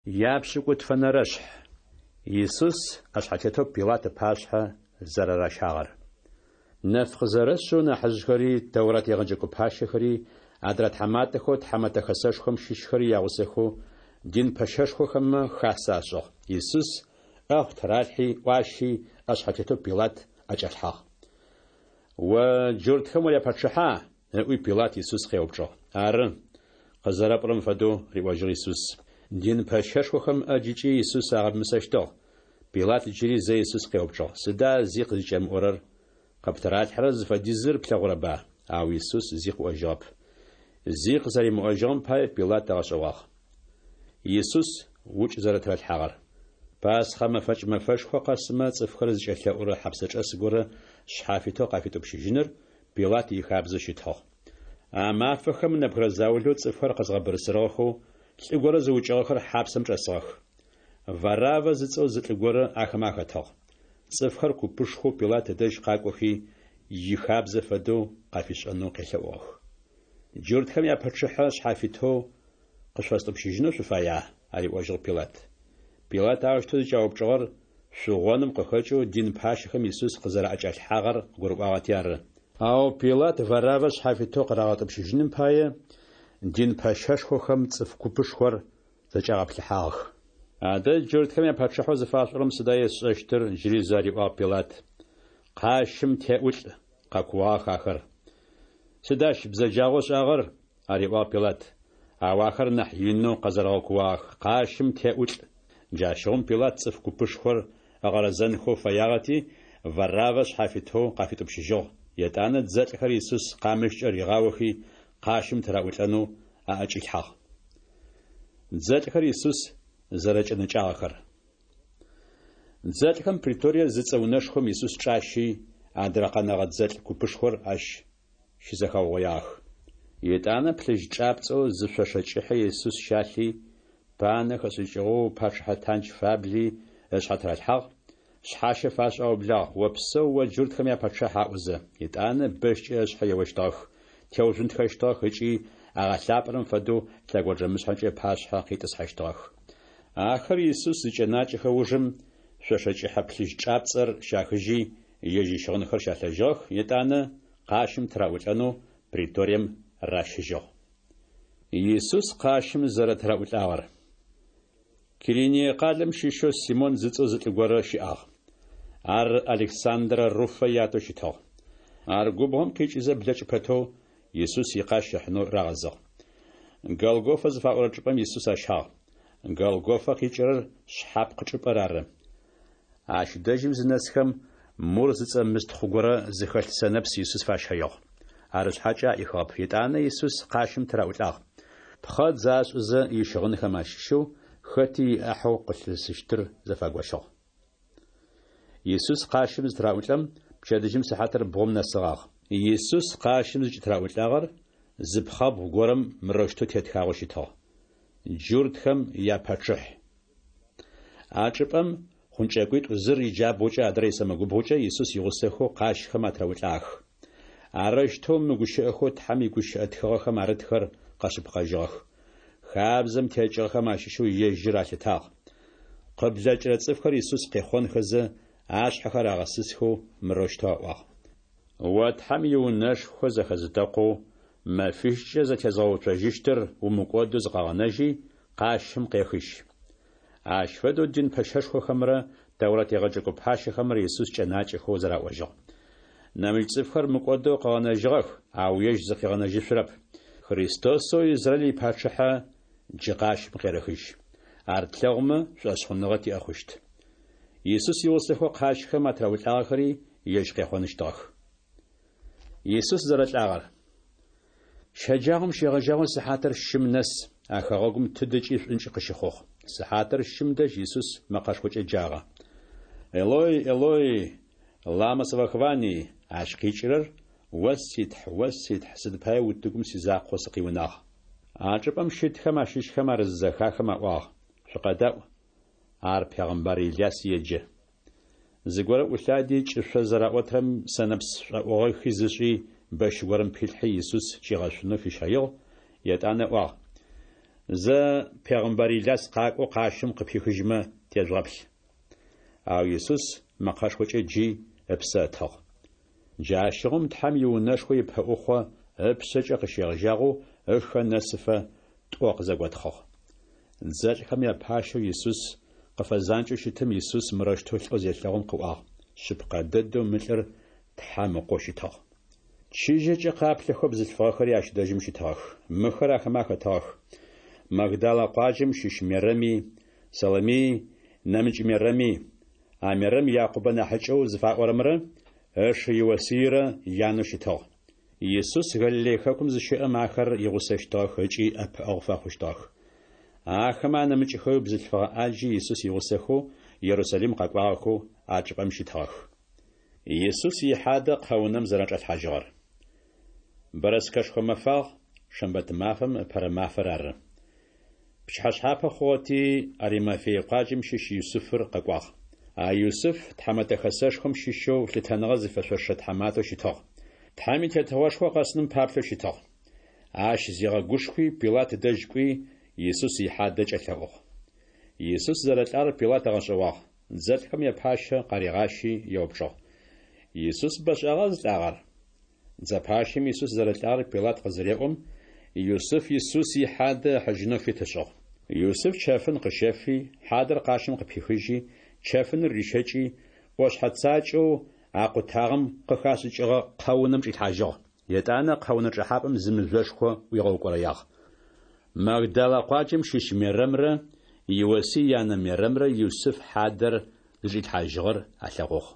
Япшӏыкӏутфэнэрэшъхь. Исус ӏэшъхьэтетэу Пилат ыпашъхьэ зэрэращагъэр. Нэф къызэрэшъэу нахьыжъхэри, Тэурат егъэджэкӏо пащэхэри, адрэ тхьаматэхэу Тхьэмэтэ Хэсэшхом щыщхэри ягъусэхэу дин пэщэшхохэмэ хасэ ашӏыгъ. Исус ӏэхъу тыралъхьи, ӏуащи, ӏэшъхьэтетэу Пилат ӏэкӏалъхьагъ. О джуртхэм уряпачъыхьа? ыӏуи Пилат Исус къеупчӏыгъ. Ары, къызэрэпӏорэм фэдэу, риӏожьыгъ Исус. Дин пэщэшхохэм ӏэджыкӏи Исус агъэмысэщтыгъ. Пилат джыри зэ Исус къеупчӏыгъ: Сыда зи къызыкӏэмыӏорэр? Къыптыралъхьэрэр зыфэдизыр плъэгъурэба? Ау Исус зи къыӏожьыгъэп. Зи къызэримыӏожьыгъэм пае Пилат ыгъэшӏэгъуагъ. Исус укӏ зэрэтыралъхьагъэр. Пасхъэ мэфэкӏ мэфэшхо къэсымэ цӏыфхэр зыкӏэлъэӏурэ хьапсэчӏэс горэ шъхьафитэу къафитӏупщыжьыныр Пилат ихабзэу щытыгъ. А мафэхэм нэбгырэ заулэу цӏыфхэр къэзгъэбырысырыгъэхэу лӏы горэ зыукӏыгъэхэр хьапсэм чӏэсыгъэх. Вараввэ зыцӏэу зы лӏы горэ ахэмэ ахэтыгъ. Цӏыфхэр купышхоу Пилат ыдэжь къакӏохи, ихабзэ фэдэу къафишӏэнэу къелъэӏугъэх. Джуртхэм япачъыхьэ шъхьафитэу къышъуфэстӏупщыжьынэу шъуфая? ариӏожьыгъ Пилат. Пилат аущтэу зыкӏяупчӏыгъэр шъугъоным къыхэкӏэу дин пащэхэм Исус къызэраӏэкӏалъхьагъэр къыгурыӏуагъэти ары. Ау Пилат Вараввэ шъхьафитэу къырагъэтӏупщыжьыным пае дин пэщэшхохэм цӏыф купышхор зэкӏагъэплъыхьагъэх. Адэ джуртхэм япачъыхьэу зыфашъуӏорэм сыда есшӏэщтыр? джыри зэ ариӏуагъ Пилат. Къащым теӏулӏ! къэкууагъэх ахэр. Сыд ащ бзэджагъэу ышӏагъэр? ариӏуагъ Пилат. Ау ахэр нахь инэу къэзэрэгъэкууагъэх: Къащым теӏулӏ! Джащыгъум Пилат цӏыф купышхор ыгъэрэзэнхэу фэягъэти, Вараввэ шъхьафитэу къафитӏупщыжьыгъ. Етӏанэ дзэлӏхэр Исус къамыщкӏэ ригъаохи, къащым тыраӏулӏэнэу аӏэкӏилъхьагъ. Дзэлӏхэр Исус зэрэкӏэнэкӏагъэхэр. Дзэлӏхэм преторие зыцӏэ унэшхом Исус чӏащи, адрэ къэнэгъэ дзэлӏ купышхор ащ щызэхаугъоягъэх. Етӏанэ плъыжь чӏапцӏэу зы шъошэ кӏыхьэ Исус щалъи, панэ хэшӏыкӏыгъэу пачъыхьэ тандж фабли ышъхьэ тыралъхьагъ, шъхьащэ фашӏэу аублагъ, Опсэу, о джуртхэм япачъыхь аӏозэ. Етӏанэ бэщкӏэ ышъхьэ еощтыгъэх, теужъунтхэщтыгъэх ыкӏи агъэлъапӏэрэм фэдэу лъэгонджэмышъхьэкӏэ ыпашъхьэ къитӏысхьэщтыгъэх. Ахэр Исус зыкӏэнакӏэхэ ужым, шъошэ кӏыхьэ плъыжь чӏапцӏэр щахыжьи, ежь ищыгъынхэр щалъэжьыгъэх, етӏанэ къащым тыраӏулӏэнэу преторием ращыжьыгъ. Исус къащым зэрэтыраӏулӏагъэр. Кириние къалэм щыщэу Симон зыцӏэу зы лӏы горэ щыӏагъ. Ар Александрэ Руфэ ятэу щытыгъ. Ар губгъом къикӏызэ блэкӏ пэтэу, Исус икъащ ыхьынэу рагъэзыгъ. Голгофэ зыфаӏорэ чӏыпӏэм Исус ащагъ. Голгофэ къикӏырэр шъхьапкъ чӏыпӏэр ары. Ащ дэжьым зынэсхэм, мур зыцӏэ мыстхъу горэ зыхэлъ сэнэпс Исус фащэигъ. Арышъхьакӏэ аӏихыгъэп. Етӏанэ Исус къащым тыраӏулӏагъ. Пхъэдз ашӏызэ ищыгъынхэм ащыщэу хэти иӏахьэу къылъысыщтыр зэфагощыгъ. Исус къащым зытыраӏулӏэм, пчэдыжьым сыхьатыр бгъум нэсыгъагъ. Исус къащым зыкӏытыраӏулӏагъэр зы пхъэбгъу горэм мырэущтэу тетхагъэу щытыгъ, Джуртхэм япачъыхь. А чӏыпӏэм хъункӏэкӏуитӏу зыр иджабгъукӏэ адрэр исэмэгубгъукӏэ Исус игъусэхэу къащхэм атыраӏулӏагъэх. Арэущтэу мы гущыӏэхэу Тхьэм игущыӏэ тхыгъэхэм арытхэр къэшъыпкъэжьыгъэх. Хабзэм текӏыгъэхэм ащыщэу ежьыр алъытагъ. Къыблэкӏырэ цӏыфхэр Исус къехъонхэзэ, ашъхьэхэр агъэсысхэу мырэущтэу аӏуагъ. О Тхьэм иунэшхо зэхэзытэкъоу, мэфищкӏэ зэтезгъэуцожьыщтыр умыкӏодэу зыкъэгъэнэжьи, къащым къехыжь. Ащ фэдэу дин пэщэшхохэмрэ Тэурат егъэджэкӏо пащэхэмрэ Исус кӏэнакӏэхэу зэраӏожьыгъ. Нэмыкӏ цӏыфхэр мыкӏодэу къыгъэнэжьыгъэх, ау ежь зыкъигъэнэжьышъурэп. Христосэу Израиль ипачъыхьэ джы къащым къерэхыжь. Ар тлъэгъумэ, шӏошъхъуныгъэ тиӏэ хъущт. Исус игъусэхэу къащхэм атыраӏулӏагъэхэри ежь къехъоныщтыгъэх. Исус зэрэлӏагъэр. Щэджагъом щегъэжьагъэу сыхьатыр щым нэс а хэгъэгум тыдэкӏи шӏункӏ къыщыхъугъ. Сыхьатыр щым дэжь Исус мэкъэшхокӏэ джагъэ. Элой, Элой, лама савахвани? Ащ къикӏырэр, О си Тхь, о си Тхь, сыд пае утыгум сизакъоу сыкъиунагъ? А чӏыпӏэм щытхэм ащыщхэм ар зызэхахым аӏуагъ, Шъукъэдаӏу, ар пегъэмбар Иляс еджэ. Зыгорэ ӏулъади, кӏышъо зэраӏотрэм сэнэпс шӏоӏугъэ хиз ышӏи, бэщ горэм пилъхьи, Исус кӏигъэшъунэу фищэигъ, етӏанэ ыӏуагъ, Зэ, пегъымбар Иляс къакӏоу къащым къыпихыжьмэ тежъугъэплъ. Ау Исус мэкъэшхокӏэ джи, ыпсэ ытыгъ. Джащыгъум Тхьэм иунэшхо ипэӏухъо ыпшъэкӏэ къыщегъэжьагъэу ыхэ нэсыфэ тӏо къызэготхъыгъ. Дзэлӏхэм япащэу Исус къыфэзанкӏэу щытым Исус мырэущтэу лӏэу зелъэгъум къыӏуагъ, Шъыпкъэ дэдэу мы лӏыр Тхьэм Ыкъоу щытыгъ. Чыжьэкӏэ къаплъэхэу бзылъфыгъэхэри ащ дэжьым щытыгъэх. Мыхэр ахэмэ ахэтыгъэх, Магдалэ къуаджэм щыщ Мерэми, Саломии, нэмыкӏ Мерэми, а Мерэм Якъубэ нахьыкӏэу зыфаӏорэмрэ ышы Иосыирэ янэу щытыгъ. Исус Галилей хэкум зыщэӏэм ахэр игъусэщтыгъэх ыкӏи ӏэпыӏэгъу фэхъущтыгъэх. Ахэмэ анэмыкӏхэуи бзылъфыгъэ ӏаджи Исус игъусэхэу Ерусалим къэкӏуагъэхэу а чӏыпӏэм щытыгъэх. Исус ихьадэ къэунэм зэрачӏалъхьажьыгъэр. Бэрэскэшхо мэфагъ, шэмбэт мафэм ыпэрэ мафэр ары. Пчыхьэшъхьапэ хъугъэти, Аримафей къуаджэм щыщ Юсыфыр къэкӏуагъ. А Юсыф Тхьэмэтэ Хэсэшхом щыщэу лъытэныгъэ зыфэшъошэ тхьаматэу щытыгъ. Тхьэм и Тетыгъошхо къэсыным паплъэу щытыгъ. Ащ зигъэгушхуи, Пилат дэжь кӏуи, Исус ихьадэ кӏэлъэӏугъ. Исус зэрэлӏагъэр Пилат ыгъэшӏэгъуагъ. Дзэлӏхэм япащэ къаригъащи еупчӏыгъ, Исус бэшӏагъа зылӏагъэр? Дзэ пащэм Исус зэрэлӏагъэр Пилат къызыреӏом, Юсыф Исус ихьадэ ыхьыжьынэу фит ышӏыгъ. Юсыф чэфын къыщэфи, хьадэр къащым къыпихыжьи, чэфыныр рищэкӏи, ӏошъхьэ цакӏэу акъутагъэм къыхашӏыкӏыгъэ къэунэм чӏилъхьажьыгъ. Етӏанэ къэунэ чӏэхьапӏэм зы мыжъошхо ӏуигъэукӏорэягъ. Магдалэ къуаджэм щыщ Мерэмрэ Иосый янэ Мерэмрэ Юсыф хьадэр зычӏилъхьажьыгъэр алъэгъугъ.